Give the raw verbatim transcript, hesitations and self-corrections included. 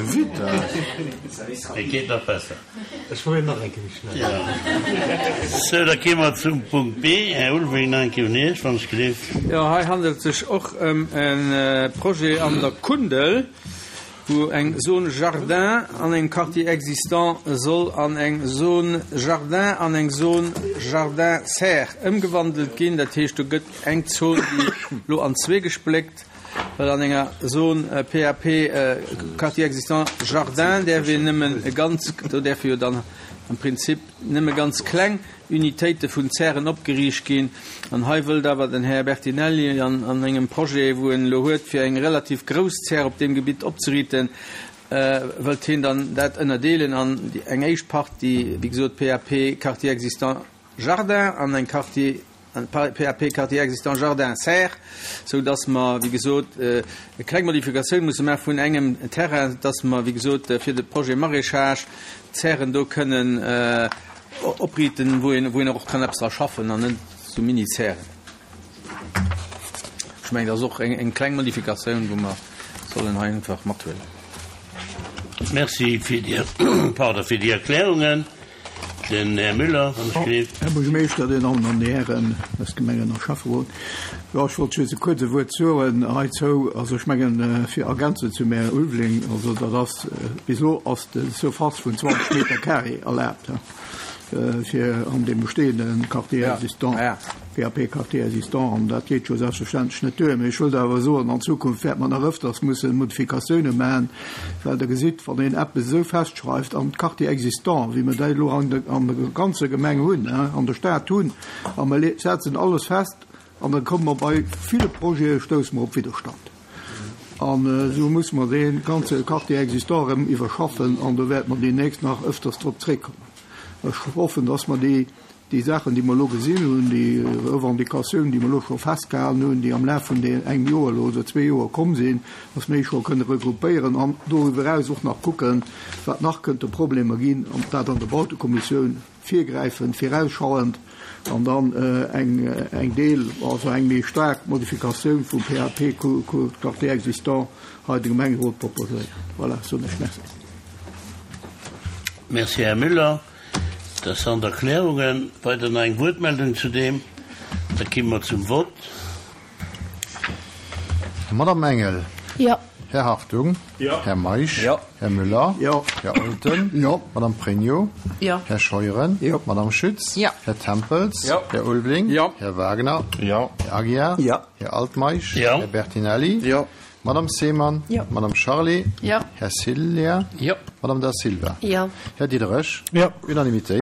Vitesse. Et geet nach besser. Ech probéieren nach eng Kéier méi schnell. Ja. Sou, da gi mer zum Punkt B. Här Ulveling, nach eng Kéier un Iech, wann ech gleef. Jo, hei handelt et sech och ëm e Projet an der Kundel, wou eng Zone jardin an engem Quartier existant soll an eng Zone jardin an eng Zone jardin serre ëmgewandelt ginn. Dat heescht, do gëtt eng Zon, déi elo an zwee gespléckt, well an enger Zone PAP Quartier existant jardin däerf een nëmmen e ganz, do däerfe jo dann am Prinzip nëmme ganz kleng Unitéite vun Zären opgeriicht ginn. An hei wëllt awer den Här Bertinelli an an engem Projet, wou en elo huet, fir eng relativ grouss Zär op deem Gebitt opzeriiten, wëllt hien dann dat ënnerdeelen an eng éischt Partie, wéi gesot, PAP Quartier existant Jardin an eng Quartier PAP Quartier existant Jardin Serre, sou dass mer, wéi gesot, e kleng Modifikatioun musse maache vun engem Terrain, dass mer, wéi gesot, fir de Projet Maraîchage d'Zären do kënnen opriiten, wou een, wou een och kann eppes dra schaffen an net sou Mini-Zären. Ech mengen, dat ass och eng, eng kleng Modifikatioun, wou mer sollen hei einfach mathuelen. Merci fir déi, pardon, fir déi Erklärungen. Den Här Müller, wann ech gleef. Här Buergermeeschter, Dir Dammen an Dir Hären aus Gemengen a Schäfferot, jo, ech wollt just e kuerz e Wuert soen heizou. Also ech mengen, fir ergänzend zum Här Ulveling, also dat ass, bis elo ass de Surface vun zwanzeg Meter carré erlaabt, fir an deem bestehende Quartier existant, PAP Quartier existant, an dat geet jo selbstverständlech net duer. Mee ech wëllt awer soen, an Zukunft wäert mer nach ëfters mussen Modifikatiounen maachen, well Der gesitt, wann een eppes esou festschreift an d'Quartier existant, wéi mer dat elo an der ganzer Gemeng hunn, an der Stad hunn, a mer setzen alles fest, an da komme mer bei ville Projete stousse mer op Widderstand. An esou musse mer dee ganze Quartier existant erëm iwwerschaffen, an do wäerte mer deemnächst nach ëfters drop zréckkommen. Ech hoffen, dass mer déi déi Saachen, déi mer elo gesinn hunn, déi Revendicatiounen, déi mer elo scho festgehalen hunn, déi am Laf vun deem engem Joer elo oder zwee Joer komm sinn, dass mer déi scho kënne regroupéieren an doriwwer eraus och nach kucken, wat nach kënnte Problemer ginn, an dat an der Bautekommissioun virgräifend, virausschauend an dann eng eng Deel, also eng méi staark Modifikatioun vum PAP Quartier existant hei de Gemengerot proposéieren. Voilà, soen ech Merci. Merci, Här Müller. Interessant Erklärungen. Weider nach eng Wuertmeldung zu deem? Da gi mer zum Vott. Madame Engel. Jo. Här Hartung. Jo. Här Meisch. Jo. Här Müller. Jo. Här Olten. Jo. Madame Pregno. Jo. Här Scheuren. Jo. Madame Schütz. Jo. Här Tempels. Jo. Här Ulveling. Jo. Här Wagner. Jo. Här Aguiar. Jo. Här Altmeisch. Jo. Här Bertinelli. Jo. Madame Seemann. Jo. Madame Charlé. Jo. Här Cillien. Jo. Madame Da Silva. Jo. Här Diderich. Jo. Unanimitéit.